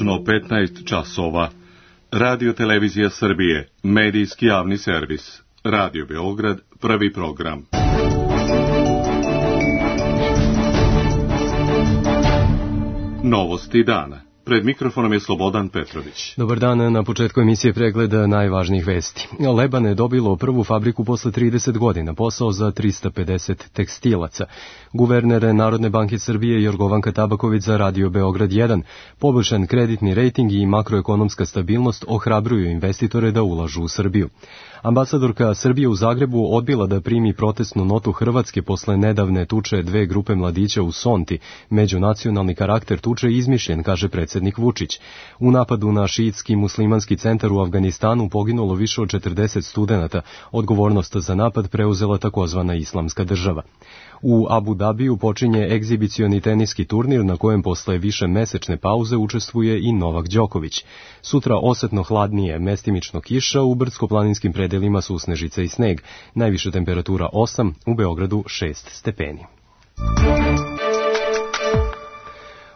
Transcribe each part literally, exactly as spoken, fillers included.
tačno petnaest časova. Radio Televizija Srbije, medijski javni servis. Radio Beograd, prvi program. Novosti dana. Pred mikrofonom je Slobodan Petrović. Dobar dan, na početku emisije pregleda najvažnijih vesti. Leban je dobilo prvu fabriku posle trideset godina, posao za trista pedeset tekstilaca. Guverner Narodne banke Srbije Jorgovanka Tabaković za Radio Beograd jedan. Poboljšan kreditni rejting i makroekonomska stabilnost ohrabruju investitore da ulažu u Srbiju. Ambasadorka Srbije u Zagrebu odbila da primi protestnu notu Hrvatske posle nedavne tuče dve grupe mladića u Sonti. Međunacionalni karakter tuče je izmišljen, kaže predsjednik Vučić. U napadu na šiitski muslimanski centar u Afganistanu poginulo više od četrdeset studenata. Odgovornost za napad preuzela takozvana Islamska država. U Abu Dabiju počinje egzibicioni teniski turnir na kojem posle više mesečne pauze učestvuje i Novak Đoković. Sutra osetno hladnije, mestimično kiša, u brdsko-planinskim predelima su snežica i sneg. Najviša temperatura osam, u Beogradu šest stepeni.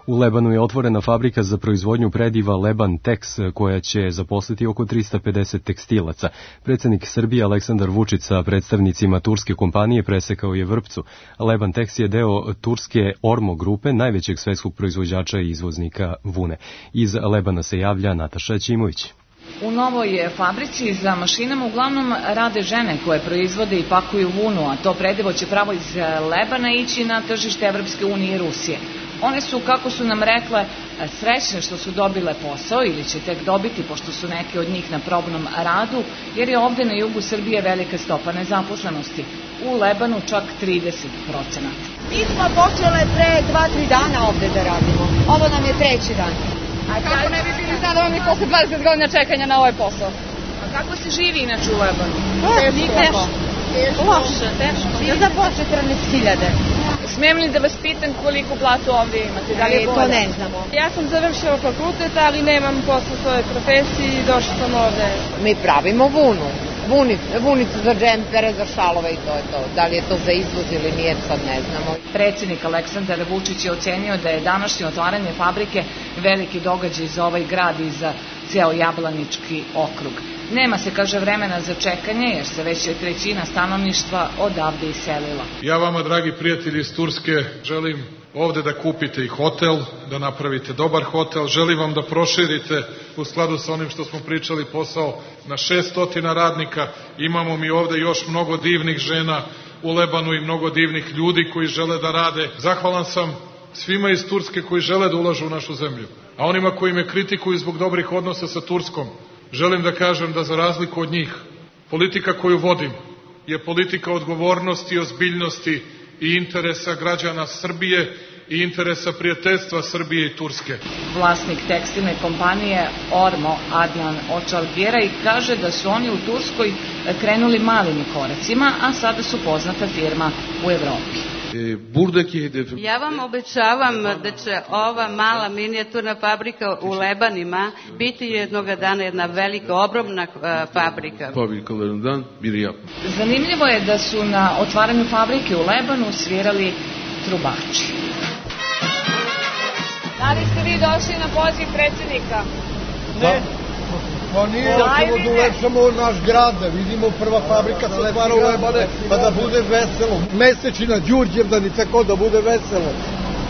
U Lebanu je otvorena fabrika za proizvodnju prediva Leban Tex, koja će zaposliti oko trista pedeset tekstilaca. Predsjednik Srbije Aleksandar Vučić sa predstavnicima turske kompanije presekao je vrpcu. Leban Tex je deo turske Ormo grupe, najvećeg svetskog proizvođača i izvoznika vune. Iz Lebana se javlja Nataša Ćimović. U novoj fabrici za mašinama uglavnom rade žene koje proizvode i pakuju vunu, a to predivo će pravo iz Lebana ići na tržište Evropske unije i Rusije. One su, kako su nam rekle, srećne što su dobile posao ili će tek dobiti, pošto su neke od njih na probnom radu, jer je ovde na jugu Srbije velika stopa nezaposlenosti. U Lebanu čak trideset procenata. Mi smo počele pre dva tri dana ovde da radimo. Ovo nam je treći dan. A kako ne bi bili zadovoljni posle dvadeset godina čekanja na ovaj posao? A kako se živi inače u Lebanu? Teško. Loše, teško. Mi za po četrnaest hiljada. Smijem li da vas pitam koliko platu ovdje imate? Da li je to ne znamo. Ja sam završila fakultet, ali nemam posle svoje profesije i došla sam ovde. Mi pravimo vunu. Vunicu, vunicu za džempere, za šalove i to je to. Da li je to za izvoz ili nije, sad ne znamo. Predsjednik Aleksandar Vučić je ocenio da je današnje otvaranje fabrike veliki događaj za ovaj grad i za ceo Jablanički okrug. Nema se, kaže, vremena za čekanje, jer se već je trećina stanovništva odavde iselila. Ja vama, dragi prijatelji iz Turske, želim ovde da kupite i hotel, da napravite dobar hotel. Želim vam da proširite u skladu sa onim što smo pričali posao na šessto radnika. Imamo mi ovde još mnogo divnih žena u Lebanu i mnogo divnih ljudi koji žele da rade. Zahvalan sam svima iz Turske koji žele da ulažu u našu zemlju. A onima koji me kritikuju zbog dobrih odnosa sa Turskom, želim da kažem da za razliku od njih, politika koju vodim je politika odgovornosti, ozbiljnosti i interesa građana Srbije i interesa prijateljstva Srbije i Turske. Vlasnik tekstilne kompanije Ormo, Adnan Očalbjera, i kaže da su oni u Turskoj krenuli malim koracima, a sada su poznata firma u Evropi. Ja vam obećavam da će ova mala minijaturna fabrika u Lebanima biti jednoga dana jedna velika, ogromna fabrika. Zanimljivo je da su na otvaranju fabrike u Lebanu svirali trubači. Da li ste vi došli na poziv predsjednika? Ne. Pa nije, ćemo da ulepšamo naš grad, da vidimo prva fabrika se otvara u Lebane, pa da bude veselo. Mesečina, Đurđevdan i tako da bude veselo.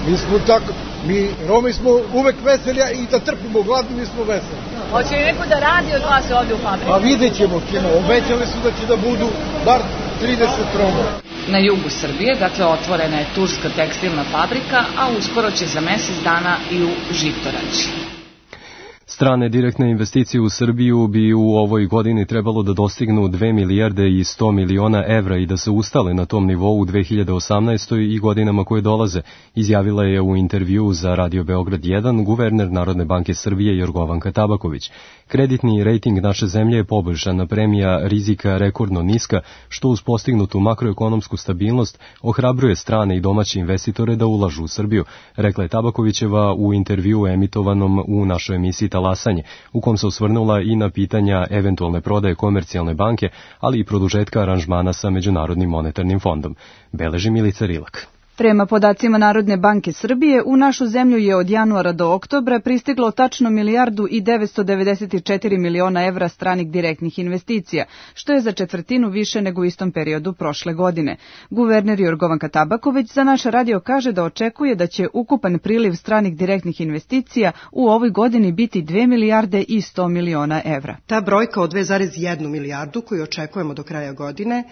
Mi smo tako, mi Romi smo uvek veseli i da trpimo gladni, mi smo veseli. Hoće li neko da radi od vas ovde u fabriku? Pa vidjet ćemo, kino, obećali su da će da budu bar trideset Roma. Na jugu Srbije, dakle, otvorena je turska tekstilna fabrika, a uskoro će za mesec dana i u Žitorađi. Strane direktne investicije u Srbiju bi u ovoj godini trebalo da dostignu dve milijarde i sto miliona evra i da se ustale na tom nivou u dve hiljade osamnaestoj. i godinama koje dolaze, izjavila je u intervju za Radio Beograd jedan guverner Narodne banke Srbije Jorgovanka Tabaković. Kreditni rejting naše zemlje je poboljšan, a premija rizika rekordno niska, što uz postignutu makroekonomsku stabilnost ohrabruje strane i domaće investitore da ulažu u Srbiju, rekla je Tabakovićeva u intervju emitovanom u našoj emisiji Talasanje, u kom se osvrnula i na pitanja eventualne prodaje Komercijalne banke, ali i produžetka aranžmana sa Međunarodnim monetarnim fondom. Beleži Milica Rilak. Prema podacima Narodne banke Srbije, u našu zemlju je od januara do oktobra pristiglo tačno milijardu i devetsto devedeset četiri miliona evra stranih direktnih investicija, što je za četvrtinu više nego u istom periodu prošle godine. Guverner Jorgovanka Tabaković za naš radio kaže da očekuje da će ukupan priliv stranih direktnih investicija u ovoj godini biti dve milijarde i sto miliona evra. Ta brojka od dve zarez jedna milijardu koju očekujemo do kraja godine,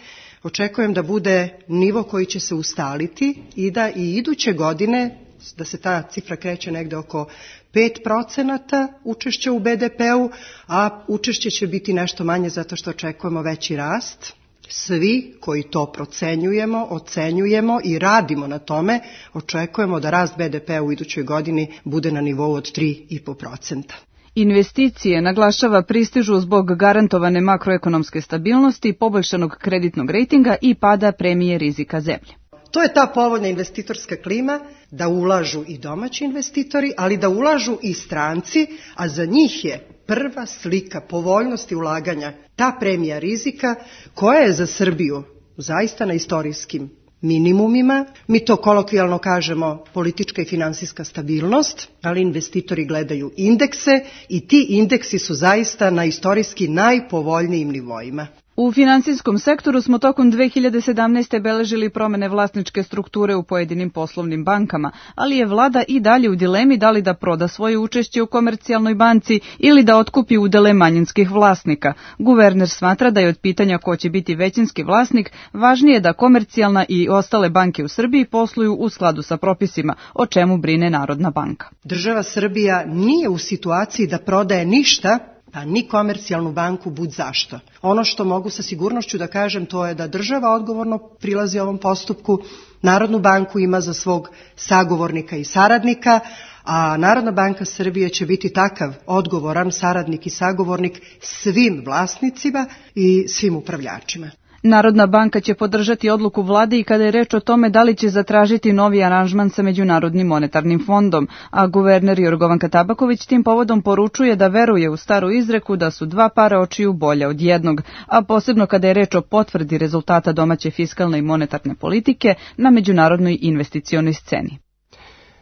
očekujem da bude nivo koji će se ustaliti i da i iduće godine, da se ta cifra kreće negde oko pet procenata učešća u be de pe-u, a učešće će biti nešto manje zato što očekujemo veći rast. Svi koji to procenjujemo, ocenjujemo i radimo na tome, očekujemo da rast be de pe-a u idućoj godini bude na nivou od tri i po procenta. Investicije, naglašava, pristižu zbog garantovane makroekonomske stabilnosti, poboljšanog kreditnog rejtinga i pada premije rizika zemlje. To je ta povoljna investitorska klima da ulažu i domaći investitori, ali da ulažu i stranci, a za njih je prva slika povoljnosti ulaganja ta premija rizika koja je za Srbiju zaista na istorijskim minimumima. Mi to kolokvijalno kažemo politička i finansijska stabilnost, ali investitori gledaju indekse i ti indeksi su zaista na istorijski najpovoljnijim nivoima. U finansijskom sektoru smo tokom dve hiljade sedamnaeste. beležili promene vlasničke strukture u pojedinim poslovnim bankama, ali je vlada i dalje u dilemi da li da proda svoje učešće u Komercijalnoj banci ili da otkupi udele manjinskih vlasnika. Guverner smatra da je od pitanja ko će biti većinski vlasnik važnije da Komercijalna i ostale banke u Srbiji posluju u skladu sa propisima, o čemu brine Narodna banka. Država Srbija nije u situaciji da prodaje ništa, pa ni Komercijalnu banku bud zašto. Ono što mogu sa sigurnošću da kažem to je da država odgovorno prilazi ovom postupku, Narodnu banku ima za svog sagovornika i saradnika, a Narodna banka Srbije će biti takav odgovoran saradnik i sagovornik svim vlasnicima i svim upravljačima. Narodna banka će podržati odluku vlade i kada je reč o tome da li će zatražiti novi aranžman sa Međunarodnim monetarnim fondom, a guverner Jorgovanka Tabaković tim povodom poručuje da veruje u staru izreku da su dva para očiju bolja od jednog, a posebno kada je reč o potvrdi rezultata domaće fiskalne i monetarne politike na međunarodnoj investicionoj sceni.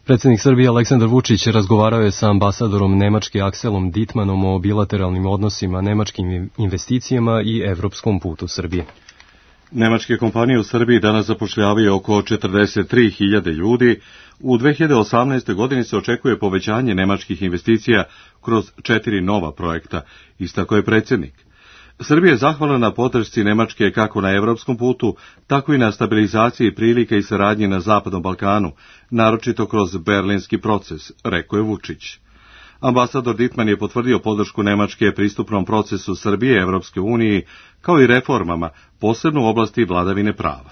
Predsjednik Srbije Aleksandar Vučić razgovarao je sa ambasadorom Nemačke Akselom Dittmanom o bilateralnim odnosima, nemačkim investicijama i evropskom putu Srbije. Nemačke kompanije u Srbiji danas zapošljavaju oko četrdeset tri hiljade ljudi. U dve hiljade osamnaestoj. godini se očekuje povećanje nemačkih investicija kroz četiri nova projekta, istako je predsjednik. Srbija je zahvalna na podršci Nemačke kako na evropskom putu, tako i na stabilizaciji prilika i saradnje na Zapadnom Balkanu, naročito kroz berlinski proces, rekao je Vučić. Ambasador Dittman je potvrdio podršku Nemačke pristupnom procesu Srbije Evropske unije, kao i reformama, posebno u oblasti vladavine prava.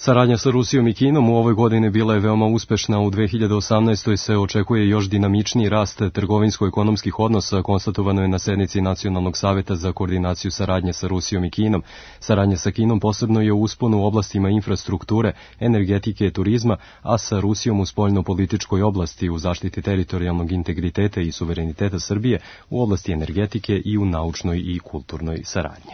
Saradnja sa Rusijom i Kinom u ovoj godini bila je veoma uspešna. U dve hiljade osamnaestoj. se očekuje još dinamičniji rast trgovinsko-ekonomskih odnosa, konstatovano je na sednici Nacionalnog saveta za koordinaciju saradnje sa Rusijom i Kinom. Saradnja sa Kinom posebno je u usponu u oblastima infrastrukture, energetike i turizma, a sa Rusijom u spoljno-političkoj oblasti, u zaštiti teritorijalnog integriteta i suvereniteta Srbije, u oblasti energetike i u naučnoj i kulturnoj saradnji.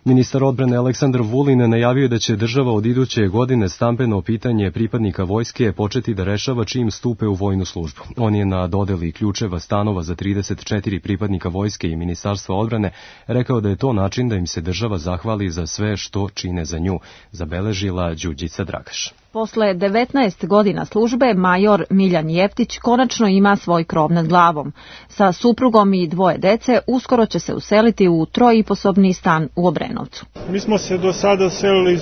Ministar odbrane Aleksandar Vulin najavio da će država od iduće godine stambeno pitanje pripadnika vojske početi da rešava čim stupe u vojnu službu. On je na dodeli ključeva stanova za trideset četiri pripadnika vojske i Ministarstva odbrane rekao da je to način da im se država zahvali za sve što čine za nju, zabeležila Đurđica Dragaš. Posle devetnaest godina službe, major Miljan Jeftić konačno ima svoj krov nad glavom. Sa suprugom i dvoje dece uskoro će se useliti u trojiposobni stan u Obrenovcu. Mi smo se do sada selili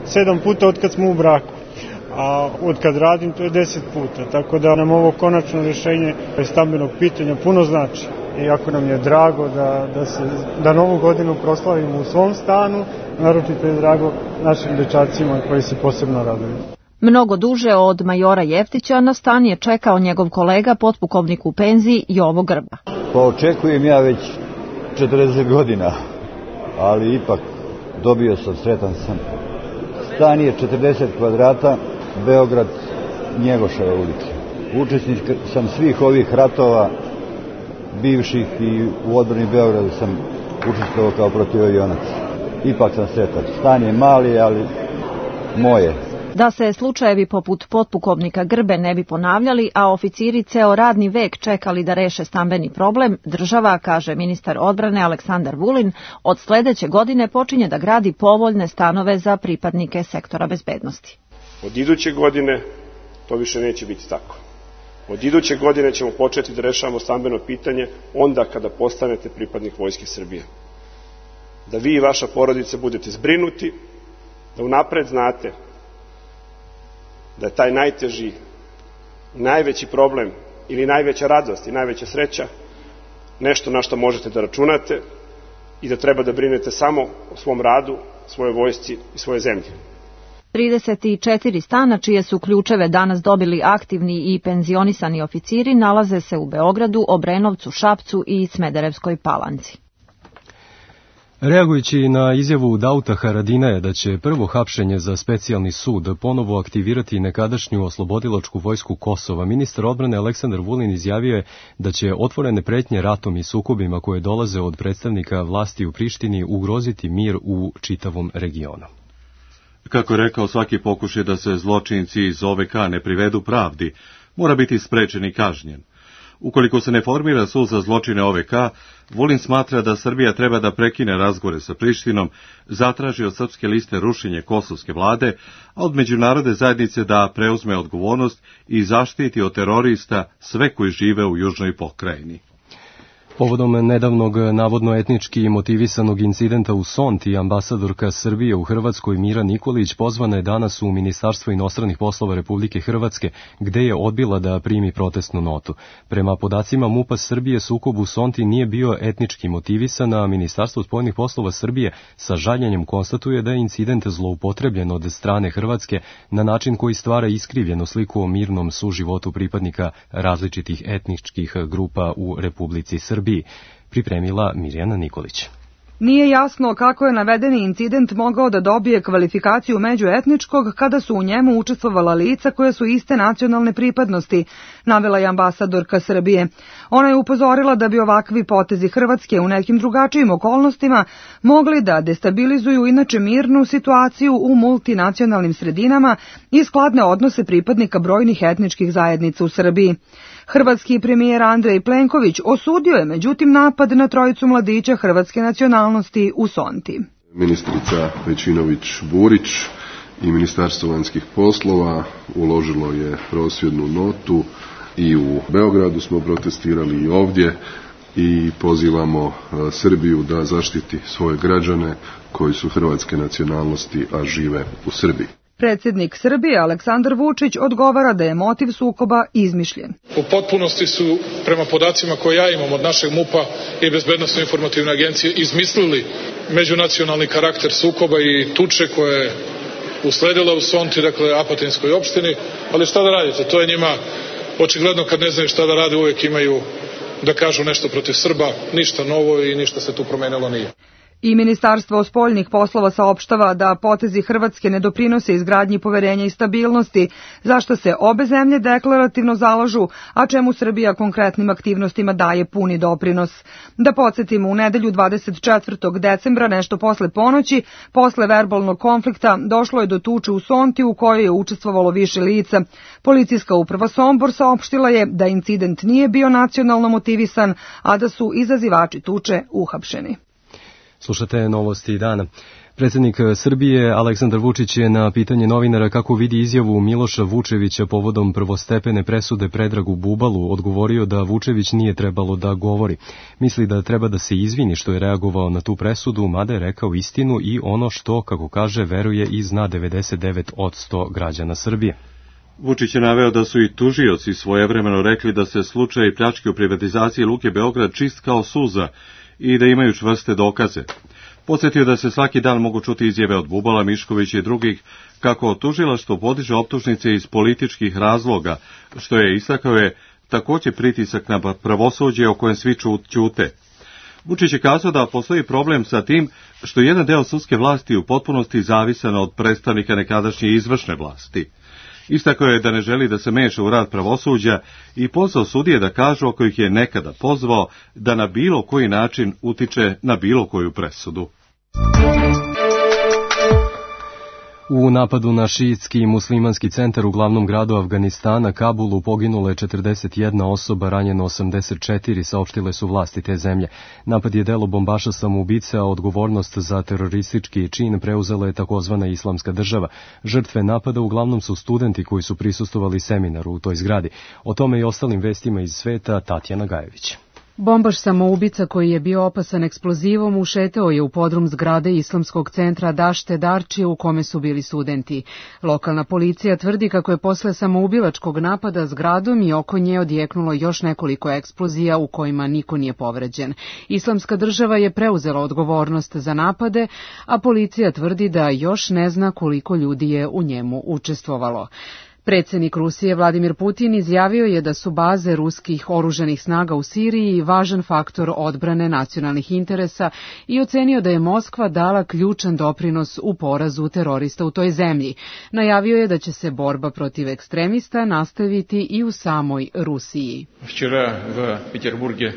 sedam puta od kad smo u braku, a od kad radim to je deset puta, tako da nam ovo konačno rješenje stambenog pitanja puno znači. I jako nam je drago da, da, se, da novu godinu proslavimo u svom stanu, naročito je drago našim dečacima koji se posebno raduju. Mnogo duže od majora Jeftića na stan je čekao njegov kolega, potpukovnik u penziji Jovo Grba. Pa očekujem ja već četrdeset godina, ali ipak dobio sam, sretan sam. Stan je četrdeset kvadrata, Beograd, Njegoševa ulica. Učesnik sam svih ovih ratova, bivših, i u odbrani Beograda sam učestvovao kao protivavionac. Ipak sam sretan. Stan je mali, ali moje. Da se slučajevi poput potpukovnika Grbe ne bi ponavljali, a oficiri ceo radni vek čekali da reše stambeni problem, država, kaže ministar odbrane Aleksandar Vulin, od sledeće godine počinje da gradi povoljne stanove za pripadnike sektora bezbednosti. Od iduće godine to više neće biti tako. Od iduće godine ćemo početi da rešavamo stambeno pitanje onda kada postanete pripadnik Vojske Srbije. Da vi i vaša porodica budete zbrinuti, da unapred znate da je taj najteži, najveći problem ili najveća radost i najveća sreća nešto na što možete da računate i da treba da brinete samo o svom radu, svojoj vojsci i svoje zemlje. trideset četiri stana čije su ključeve danas dobili aktivni i penzionisani oficiri nalaze se u Beogradu, Obrenovcu, Šapcu i Smederevskoj Palanci. Reagujući na izjavu Dauta Haradinaja da će prvo hapšenje za specijalni sud ponovo aktivirati nekadašnju oslobodilačku vojsku Kosova, ministar odbrane Aleksandar Vulin izjavio je da će otvorene pretnje ratom i sukobima koje dolaze od predstavnika vlasti u Prištini ugroziti mir u čitavom regionu. Kako je rekao, svaki pokušaj da se zločinci iz O V K ne privedu pravdi mora biti sprečen i kažnjen. Ukoliko se ne formira sud za zločine O V K, Vulin smatra da Srbija treba da prekine razgovore sa Prištinom, zatraži od srpske liste rušenje kosovske vlade, a od međunarodne zajednice da preuzme odgovornost i zaštiti od terorista sve koji žive u južnoj pokrajini. Povodom nedavnog navodno etnički motivisanog incidenta u Sonti, ambasadorka Srbije u Hrvatskoj Mira Nikolić pozvana je danas u Ministarstvo inostranih poslova Republike Hrvatske, gde je odbila da primi protestnu notu. Prema podacima MUP-a Srbije, sukob u Sonti nije bio etnički motivisan, a Ministarstvo spoljnih poslova Srbije sa žaljenjem konstatuje da je incident zloupotrebljen od strane Hrvatske na način koji stvara iskrivljenu sliku o mirnom suživotu pripadnika različitih etničkih grupa u Republici Srbiji. Pripremila Mirjana Nikolić. Nije jasno kako je navedeni incident mogao da dobije kvalifikaciju međuetničkog kada su u njemu učestvovala lica koje su iste nacionalne pripadnosti, navela je ambasadorka Srbije. Ona je upozorila da bi ovakvi potezi Hrvatske u nekim drugačijim okolnostima mogli da destabilizuju inače mirnu situaciju u multinacionalnim sredinama i skladne odnose pripadnika brojnih etničkih zajednica u Srbiji. Hrvatski premijer Andrej Plenković osudio je međutim napad na trojicu mladića hrvatske nacionalnosti u Sonti. Ministrica Pejčinović-Burić i Ministarstvo vanjskih poslova uložilo je prosvjednu notu i u Beogradu smo protestirali i ovdje i pozivamo Srbiju da zaštiti svoje građane koji su hrvatske nacionalnosti, a žive u Srbiji. Predsjednik Srbije Aleksandar Vučić odgovara da je motiv sukoba izmišljen. U potpunosti su, prema podacima koje ja imam od našeg MUP-a i Bezbednosno informativne agencije, izmislili međunacionalni karakter sukoba i tuče koje je usledila u Sonti, dakle Apatinskoj opštini, ali šta da radite, to je njima očigledno kad ne znaju šta da rade, uvijek imaju da kažu nešto protiv Srba, ništa novo i ništa se tu promenilo nije. I Ministarstvo spoljnih poslova saopštava da potezi Hrvatske ne doprinose izgradnji poverenja i stabilnosti, zašto se obe zemlje deklarativno zalažu, a čemu Srbija konkretnim aktivnostima daje puni doprinos. Da podsjetimo, u nedelju dvadeset četvrtog decembra, nešto posle ponoći, posle verbalnog konflikta, došlo je do tuče u Sonti u kojoj je učestvovalo više lica. Policijska uprava Sombor saopštila je da incident nije bio nacionalno motivisan, a da su izazivači tuče uhapšeni. Slušate novosti dana. Predsjednik Srbije Aleksandar Vučić je na pitanje novinara kako vidi izjavu Miloša Vučevića povodom prvostepene presude Predragu Bubalu odgovorio da Vučević nije trebalo da govori. Misli da treba da se izvini što je reagovao na tu presudu, mada je rekao istinu i ono što, kako kaže, veruje i zna devedeset devet posto građana Srbije. Vučić je naveo da su i tužioci svojevremeno rekli da se slučaj pljačke u privatizaciji Luke Beograd čist kao suza i da imaju čvrste dokaze. Podsjetio da se svaki dan mogu čuti izjave od Bubala, Miškovića i drugih kako tužilaštvo podiže optužnice iz političkih razloga, što je istakao je također pritisak na pravosuđe o kojem svi ćute. Vučić je kazao da postoji problem sa tim što jedan deo sudske vlasti u potpunosti zavisan od predstavnika nekadašnje izvršne vlasti. Istakao je da ne želi da se meša u rad pravosuđa i pozvao sudije da kažu, ako ih je nekada pozvao, da na bilo koji način utiče na bilo koju presudu. U napadu na šiitski muslimanski centar u glavnom gradu Afganistana, Kabulu, poginula je četrdeset jedna osoba, ranjeno osamdeset četiri, saopštile su vlasti te zemlje. Napad je delo bombaša samoubice, a odgovornost za teroristički čin preuzela je takozvana Islamska država. Žrtve napada uglavnom su studenti koji su prisustvovali seminaru u toj zgradi. O tome i ostalim vestima iz sveta Tatjana Gajević. Bombaš samoubica koji je bio opasan eksplozivom ušetao je u podrum zgrade Islamskog centra Dašte Darči u kome su bili studenti. Lokalna policija tvrdi kako je posle samoubilačkog napada zgradom i oko nje odjeknulo još nekoliko eksplozija u kojima niko nije povređen. Islamska država je preuzela odgovornost za napade, a policija tvrdi da još ne zna koliko ljudi je u njemu učestvovalo. Predsjednik Rusije Vladimir Putin izjavio je da su baze ruskih oružanih snaga u Siriji važan faktor odbrane nacionalnih interesa i ocenio da je Moskva dala ključan doprinos u porazu terorista u toj zemlji. Najavio je da će se borba protiv ekstremista nastaviti i u samoj Rusiji. Včera v Peterburgu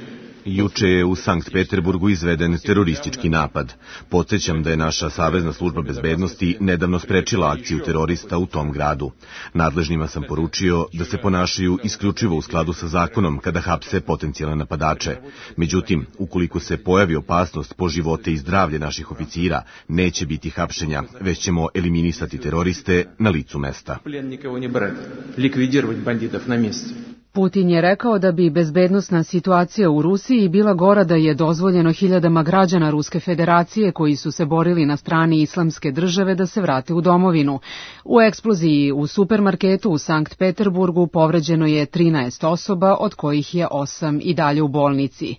Juče je u Sankt Peterburgu izveden teroristički napad. Podsjećam da je naša savezna služba bezbednosti nedavno sprečila akciju terorista u tom gradu. Nadležnima sam poručio da se ponašaju isključivo u skladu sa zakonom kada hapse potencijalne napadače. Međutim, ukoliko se pojavi opasnost po živote i zdravlje naših oficira, neće biti hapšenja, već ćemo eliminisati teroriste na licu mesta. Putin je rekao da bi bezbednosna situacija u Rusiji bila gora da je dozvoljeno hiljadama građana Ruske federacije koji su se borili na strani Islamske države da se vrate u domovinu. U eksploziji u supermarketu u Sankt Peterburgu povređeno je trinaest osoba, od kojih je osam i dalje u bolnici.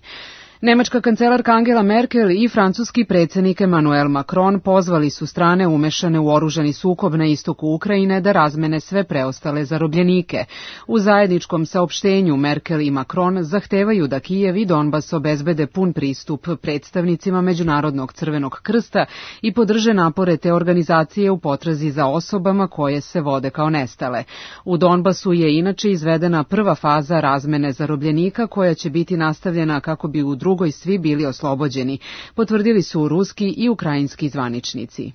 Nemačka kancelarka Angela Merkel i francuski predsjednik Emmanuel Macron pozvali su strane umešane u oružani sukob na istoku Ukrajine da razmene sve preostale zarobljenike. U zajedničkom saopštenju Merkel i Macron zahtevaju da Kijev i Donbas obezbede pun pristup predstavnicima Međunarodnog crvenog krsta i podrže napore te organizacije u potrazi za osobama koje se vode kao nestale. U Donbasu je inače izvedena prva faza razmene zarobljenika koja će biti nastavljena kako bi u drugoj svi bili oslobođeni, potvrdili su ruski i ukrajinski zvaničnici.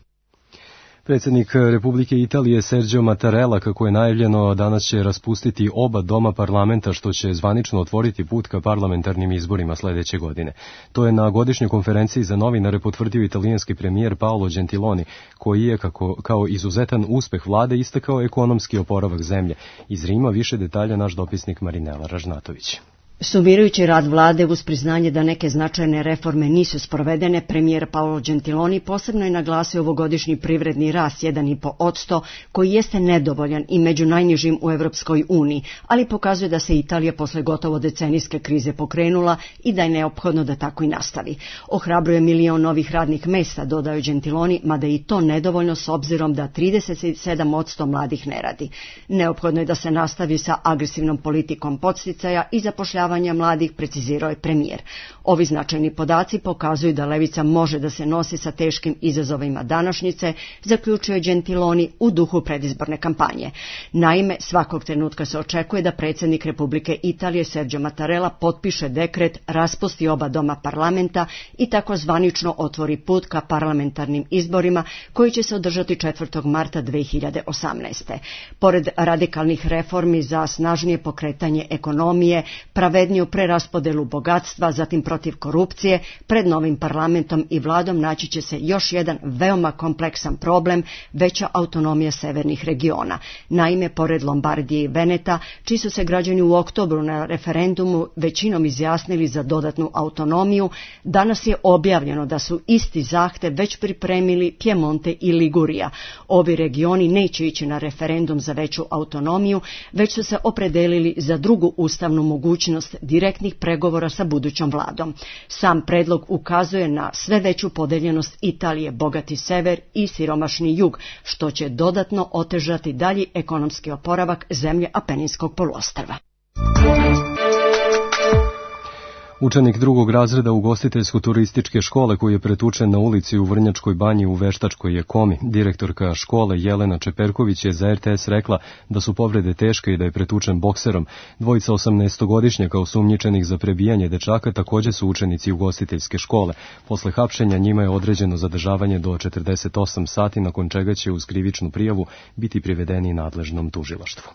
Predsjednik Republike Italije Sergio Mattarella, kako je najavljeno, danas će raspustiti oba doma parlamenta, što će zvanično otvoriti put ka parlamentarnim izborima sljedeće godine. To je na godišnjoj konferenciji za novinare potvrdio italijanski premijer Paolo Gentiloni, koji je kako, kao izuzetan uspeh vlade istakao ekonomski oporavak zemlje. Iz Rima više detalja naš dopisnik Marinela Ražnatović. Sumirajući rad vlade uz priznanje da neke značajne reforme nisu sprovedene, premijer Paolo Gentiloni posebno je naglasio ovogodišnji privredni rast jedan i po posto, koji jeste nedovoljan i među najnižim u Evropskoj uniji, ali pokazuje da se Italija posle gotovo decenijske krize pokrenula i da je neophodno da tako i nastavi. Ohrabruje milion novih radnih mesta, dodao Gentiloni, mada i to nedovoljno s obzirom da trideset sedam posto mladih ne radi. Neophodno je da se nastavi sa agresivnom politikom podsticaja i zapošljavanja mladih, precizirao je premijer. Ovi značajni podaci pokazuju da levica može da se nosi sa teškim izazovima današnjice, zaključio je Gentiloni u duhu predizborne kampanje. Naime, svakog trenutka se očekuje da predsjednik Republike Italije Sergio Mattarella potpiše dekret, raspusti oba doma parlamenta i tako zvanično otvori put ka parlamentarnim izborima koji će se održati četvrtog marta dve hiljade osamnaeste. Pored radikalnih reformi za snažnije pokretanje ekonomije, pravedniju preraspodelu bogatstva, zatim protiv korupcije, pred novim parlamentom i vladom naći će se još jedan veoma kompleksan problem, veća autonomija severnih regiona. Naime, pored Lombardije i Veneta, čiji su se građani u oktobru na referendumu većinom izjasnili za dodatnu autonomiju, danas je objavljeno da su isti zahtev već pripremili Piemonte i Ligurija. Ovi regioni neće ići na referendum za veću autonomiju, već su se opredelili za drugu ustavnu mogućnost direktnih pregovora sa budućom vladom. Sam predlog ukazuje na sve veću podeljenost Italije, bogati sever i siromašni jug, što će dodatno otežati dalji ekonomski oporavak zemlje Apeninskog poluostrva. Učenik drugog razreda ugostiteljsko-turističke škole koji je pretučen na ulici u Vrnjačkoj banji u veštačkoj je komi. Direktorka škole Jelena Čeperković je za er te es rekla da su povrede teške i da je pretučen bokserom. Dvojica osamnaestogodišnjaka osumnjičenih za prebijanje dečaka također su učenici ugostiteljske škole. Posle hapšenja njima je određeno zadržavanje do četrdeset osam sati, nakon čega će uz krivičnu prijavu biti privedeni nadležnom tužilaštvu.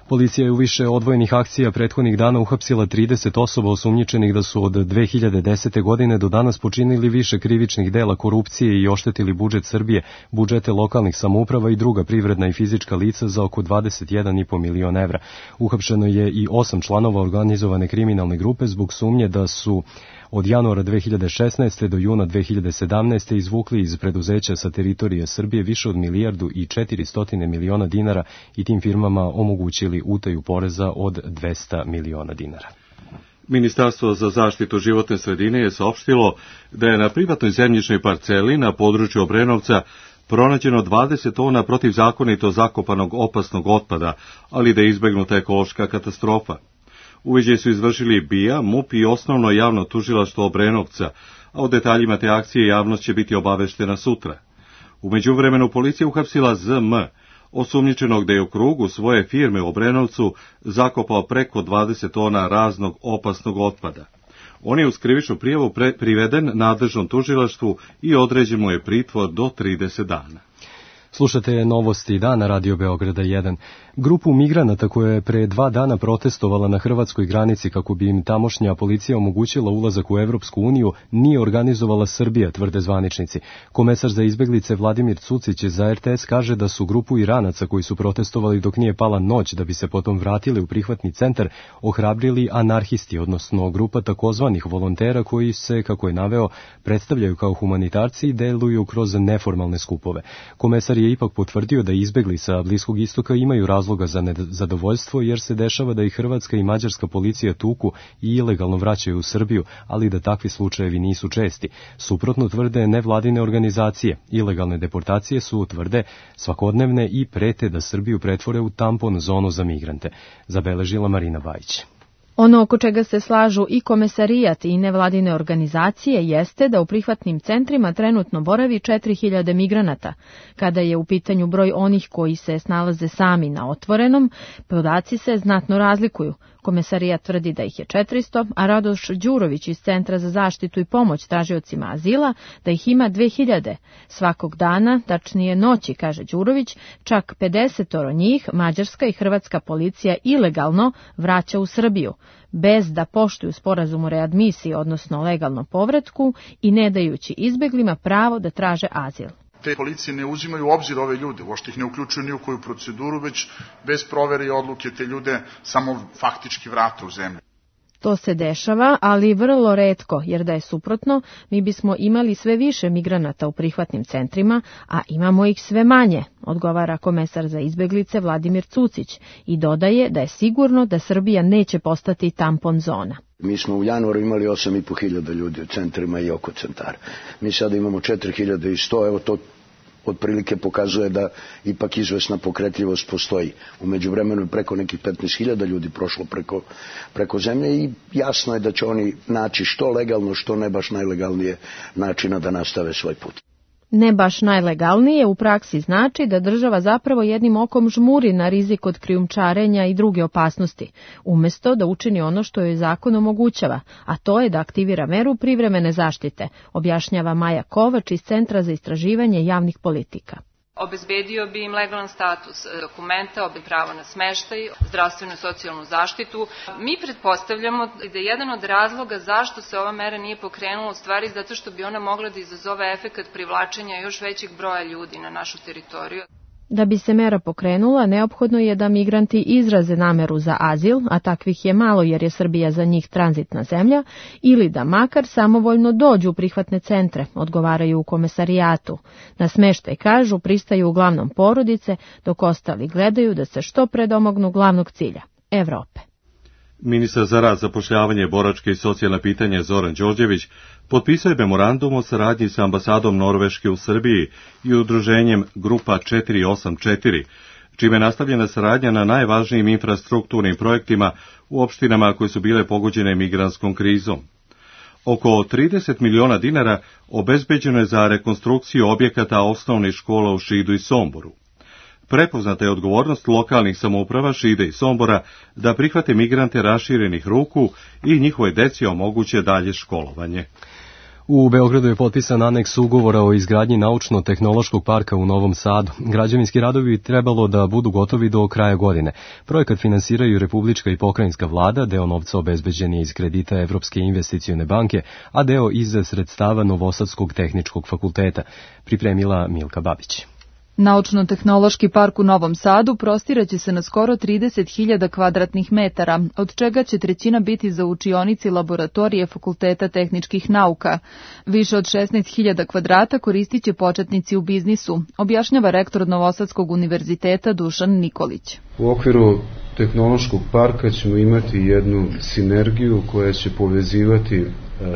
Policija je u više odvojenih akcija prethodnih dana uhapsila trideset osoba osumnjičenih da su od dve hiljade desete. godine do danas počinili više krivičnih dela korupcije i oštetili budžet Srbije, budžete lokalnih samouprava i druga privredna i fizička lica za oko dvadeset jedan i po milion evra. Uhapšeno je i osam članova organizovane kriminalne grupe zbog sumnje da su od januara dve hiljade šesnaeste. do juna dve hiljade sedamnaeste. izvukli iz preduzeća sa teritorije Srbije više od milijardu i četiristo miliona dinara i tim firmama omogućili utaju poreza od dvesta miliona dinara. Ministarstvo za zaštitu životne sredine je saopštilo da je na privatnoj zemljišnoj parceli na području Obrenovca pronađeno dvadeset tona protivzakonito zakopanog opasnog otpada, ali da je izbegnuta ekološka katastrofa. Uviđaj su izvršili B I A, M U P i osnovno javno tužilaštvo Obrenovca, a o detaljima te akcije javnost će biti obaveštena sutra. U međuvremenu policija uhapsila Z M, osumnjičenog da je u krugu svoje firme u Obrenovcu zakopao preko dvadeset tona raznog opasnog otpada. On je uz krivičnu prijavu priveden nadležnom tužilaštvu i određen mu je pritvor do trideset dana. Slušate novosti dana Radio Beograda jedan. Grupu migranata koja je pre dva dana protestovala na hrvatskoj granici kako bi im tamošnja policija omogućila ulazak u Evropsku uniju nije organizovala Srbija, tvrde zvaničnici. Komesar za izbeglice Vladimir Cucić za er te es kaže da su grupu Iranaca koji su protestovali dok nije pala noć da bi se potom vratili u prihvatni centar ohrabrili anarhisti, odnosno grupa takozvanih volontera koji se, kako je naveo, predstavljaju kao humanitarci i deluju kroz neformalne skupove. Komesar je ipak potvrdio da izbegli sa Bliskog istoka imaju razloga za nezadovoljstvo jer se dešava da i hrvatska i mađarska policija tuku i ilegalno vraćaju u Srbiju, ali da takvi slučajevi nisu česti. Suprotno tvrde nevladine organizacije. Ilegalne deportacije su, tvrde, svakodnevne i prete da Srbiju pretvore u tampon zonu za migrante. Zabeležila Marina Bajić. Ono oko čega se slažu i komesarijat i nevladine organizacije jeste da u prihvatnim centrima trenutno boravi četiri hiljade migranata. Kada je u pitanju broj onih koji se snalaze sami na otvorenom, podaci se znatno razlikuju. Komesarijat tvrdi da ih je četiristo, a Radoš Đurović iz Centra za zaštitu i pomoć tražiocima azila da ih ima dve hiljade. Svakog dana, tačnije noći, kaže Đurović, čak pedesetoro njih mađarska i hrvatska policija ilegalno vraća u Srbiju, bez da poštuju sporazum o readmisiji, odnosno legalnom povratku i ne dajući izbeglima pravo da traže azil. Te policije ne uzimaju u obzir ove ljude, uopšte ih ne uključuju ni u koju proceduru, već bez provere i odluke te ljude samo faktički vrate u zemlju. To se dešava, ali vrlo retko, jer da je suprotno, mi bismo imali sve više migranata u prihvatnim centrima, a imamo ih sve manje, odgovara komesar za izbeglice Vladimir Cucić i dodaje da je sigurno da Srbija neće postati tampon zona. Mi smo u januaru imali osam i po hiljada ljudi u centrima i oko centara. Mi sada imamo četiri hiljade sto, evo to otprilike pokazuje da ipak izvesna pokretljivost postoji. U međuvremenu je preko nekih petnaest hiljada ljudi prošlo preko, preko zemlje i jasno je da će oni naći što legalno, što ne baš najlegalnije načina da nastave svoj put. Ne baš najlegalnije u praksi znači da država zapravo jednim okom žmuri na rizik od krijumčarenja i druge opasnosti, umjesto da učini ono što joj zakon omogućava, a to je da aktivira meru privremene zaštite, objašnjava Maja Kovač iz Centra za istraživanje javnih politika. Obezbedio bi im legalan status dokumenta, pravo na smeštaj, zdravstvenu i socijalnu zaštitu. Mi pretpostavljamo da je jedan od razloga zašto se ova mera nije pokrenula u stvari zato što bi ona mogla da izazove efekat privlačenja još većeg broja ljudi na našu teritoriju. Da bi se mera pokrenula, neophodno je da migranti izraze nameru za azil, a takvih je malo jer je Srbija za njih tranzitna zemlja, ili da makar samovoljno dođu u prihvatne centre, odgovaraju u komesarijatu. Na smeštaj, kažu, pristaju uglavnom porodice, dok ostali gledaju da se što pre domognu glavnog cilja – Evrope. Ministar za rad, zapošljavanje, boračke i socijalne pitanje Zoran Đorđević potpisao je memorandum o saradnji sa ambasadom Norveške u Srbiji i udruženjem Grupa četiri osam četiri, čime je nastavljena saradnja na najvažnijim infrastrukturnim projektima u opštinama koje su bile pogođene migrantskom krizom. Oko trideset miliona dinara obezbeđeno je za rekonstrukciju objekata osnovnih škola u Šidu i Somboru. Prepoznata je odgovornost lokalnih samouprava Šida i Sombora da prihvate migrante raširenih ruku i njihove deci omoguće dalje školovanje. U Beogradu je potpisan aneks ugovora o izgradnji naučno-tehnološkog parka u Novom Sadu. Građevinski radovi bi trebalo da budu gotovi do kraja godine. Projekat finansiraju Republička i pokrajinska vlada, deo novca obezbeđen je iz kredita Evropske investicione banke, a deo iz sredstava Novosadskog tehničkog fakulteta. Pripremila Milka Babić. Naučno-tehnološki park u Novom Sadu prostiraće se na skoro trideset hiljada kvadratnih metara, od čega će trećina biti za učionici laboratorije Fakulteta tehničkih nauka. Više od šesnaest hiljada kvadrata koristit će početnici u biznisu, objašnjava rektor Novosadskog univerziteta Dušan Nikolić. U okviru tehnološkog parka ćemo imati jednu sinergiju koja će povezivati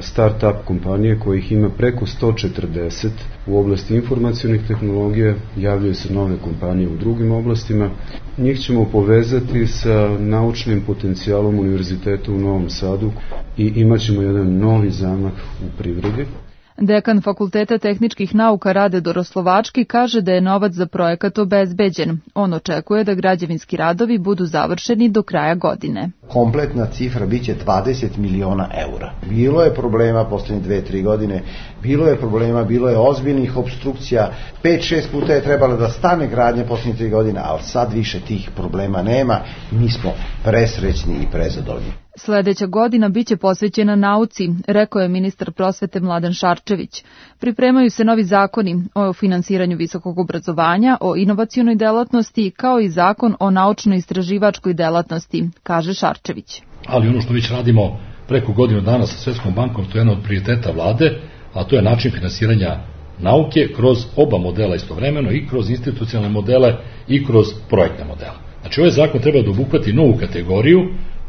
start-up kompanije kojih ima preko sto četrdeset u oblasti informacionih tehnologija, javljaju se nove kompanije u drugim oblastima. Njih ćemo povezati sa naučnim potencijalom univerziteta u Novom Sadu i imat ćemo jedan novi zamah u privredi. Dekan Fakulteta tehničkih nauka Rade Doroslovački kaže da je novac za projekat obezbeđen. On očekuje da građevinski radovi budu završeni do kraja godine. Kompletna cifra biće dvadeset miliona eura. Bilo je problema poslednje dve, tri godine, bilo je problema, bilo je ozbiljnih obstrukcija, pet, šest puta je trebalo da stane gradnja poslednje tri godine, ali sad više tih problema nema i mi smo presrećni i prezadovoljni. Sledeća godina biće posvećena nauci, rekao je ministar prosvete Mladen Šarčević. Pripremaju se novi zakoni o finansiranju visokog obrazovanja, o inovacionoj delatnosti, kao i zakon o naučno-istraživačkoj delatnosti, kaže Šarčević. Ali ono što već radimo preko godinu dana sa Svetskom bankom, to je jedan od prioriteta vlade, a to je način finansiranja nauke kroz oba modela istovremeno, i kroz institucionalne modele i kroz projektne modele. Znači, ovaj zakon treba da obuhvati novu kategoriju,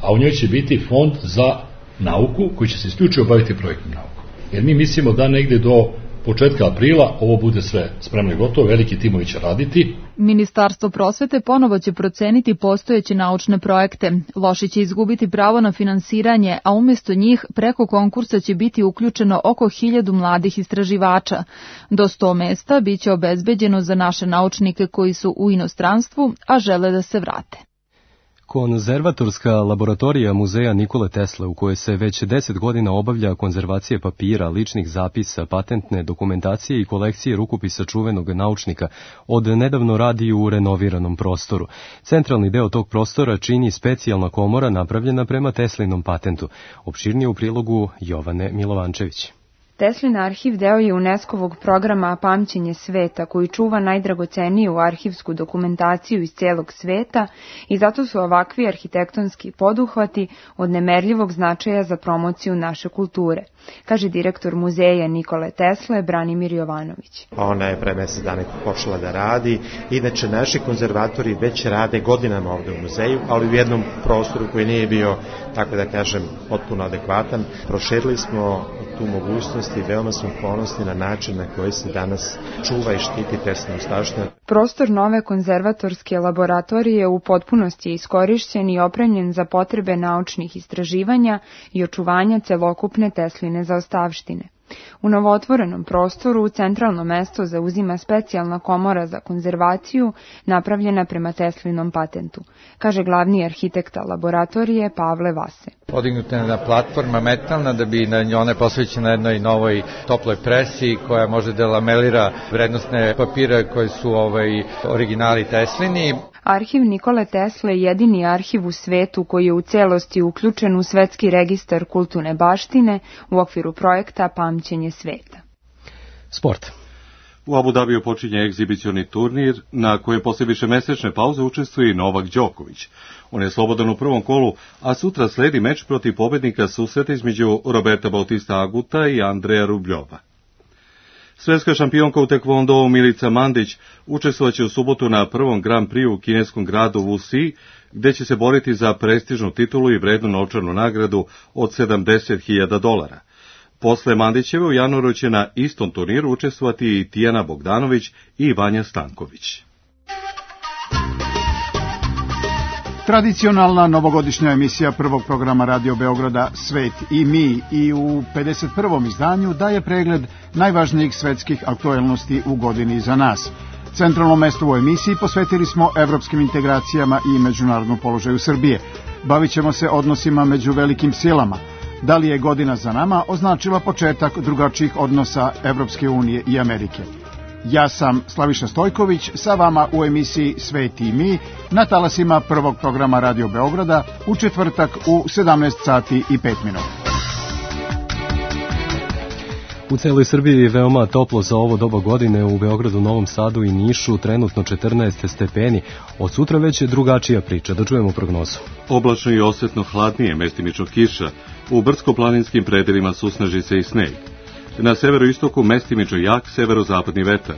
a u njoj će biti fond za nauku koji će se isključivo baviti projektnom naukom. Jer mi mislimo da negde do početka aprila ovo bude sve spremno i gotovo, veliki timovi će raditi. Ministarstvo prosvete ponovo će proceniti postojeće naučne projekte. Loši će izgubiti pravo na finansiranje, a umjesto njih preko konkursa će biti uključeno oko hiljadu mladih istraživača. Do sto mesta biće obezbeđeno za naše naučnike koji su u inostranstvu, a žele da se vrate. Konzervatorska laboratorija muzeja Nikole Tesle, u kojoj se već deset godina obavlja konzervacije papira, ličnih zapisa, patentne dokumentacije i kolekcije rukopisa čuvenog naučnika, od nedavno radi u renoviranom prostoru. Centralni deo tog prostora čini specijalna komora napravljena prema Teslinom patentu. Opširnije u prilogu Jovane Milovančević. Teslin arhiv deo je UNESCO-vog programa Pamćenje sveta, koji čuva najdragoceniju arhivsku dokumentaciju iz celog sveta i zato su ovakvi arhitektonski poduhvati od nemerljivog značaja za promociju naše kulture, kaže direktor muzeja Nikole Tesle Branimir Jovanović. Ona je pre mesec dana počela da radi, inače naši konzervatori već rade godinama ovde u muzeju, ali u jednom prostoru koji nije bio, tako da kažem, potpuno adekvatan. Proširili smo tu mogućnost i veoma smo ponosni na način na koji se danas čuva i štiti Teslina ostavština. Prostor nove konzervatorske laboratorije u potpunosti je iskorišćen i opremljen za potrebe naučnih istraživanja i očuvanja celokupne Tesline zaostavštine. U novootvorenom prostoru centralno mesto zauzima specijalna komora za konzervaciju napravljena prema Teslinom patentu, kaže glavni arhitekta laboratorije Pavle Vase. Podignuta je jedna platforma metalna da bi na njoj posvećena jednoj novoj toploj presi koja može da lamelira vrednostne papire koji su ovaj originali Teslini. Arhiv Nikole Tesle je jedini arhiv u svetu koji je u celosti uključen u Svetski registar kulturne baštine u okviru projekta Pamćenje sveta. Sport. U Abu Dabiju počinje egzibicioni turnir na koje posle višemesečne pauze učestvuje i Novak Đoković. On je slobodan u prvom kolu, a sutra sledi meč protiv pobednika susreta između Roberta Bautista Aguta i Andreja Rubljova. Svetska šampionka u tekvondou Milica Mandić učestvovaće u subotu na prvom Grand Prix u kineskom gradu Wuxi, gde će se boriti za prestižnu titulu i vrednu novčanu nagradu od sedamdeset hiljada dolara. Posle Mandićeve u januaru će na istom turniru učestvovati i Tijana Bogdanović i Vanja Stanković. Tradicionalna novogodišnja emisija prvog programa Radio Beograda Svet i mi i u pedeset prvom izdanju daje pregled najvažnijih svetskih aktuelnosti u godini iza nas. Centralno mesto u emisiji posvetili smo evropskim integracijama i međunarodnom položaju Srbije. Bavit ćemo se odnosima među velikim silama. Da li je godina za nama označila početak drugačijih odnosa Evropske unije i Amerike? Ja sam Slaviša Stojković, sa vama u emisiji Svet i mi na talasima prvog programa Radio Beograda u četvrtak u sedamnaest sati i pet minuta. U celoj Srbiji je veoma toplo za ovo doba godine, u Beogradu, Novom Sadu i Nišu trenutno četrnaest stepeni. Od sutra već je drugačija priča, da čujemo prognozu. Oblačno i osetno hladnije, mestimično kiša, u brdsko-planinskim predelima susneži se i sneg. Na severoistoku mestimično jak severozapadni vetar.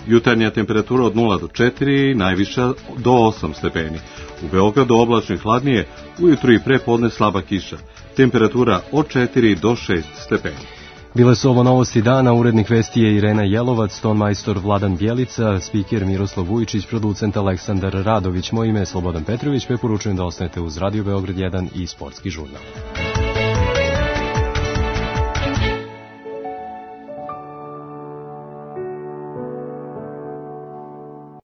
Jutarnja temperatura od nula do četiri, najviša do osam stepeni. U Beogradu oblačno i hladnije, ujutru i pre podne slaba kiša. Temperatura od četiri do šest stepeni. Bile su ovo novosti dana, urednik vesti je Irena Jelovac, tonmajstor Vladan Bjelica, spiker Miroslav Vujičić, producent Aleksandar Radović. Moje ime je Slobodan Petrović, preporučujem da ostanete uz Radio Beograd jedan i Sportski žurnal.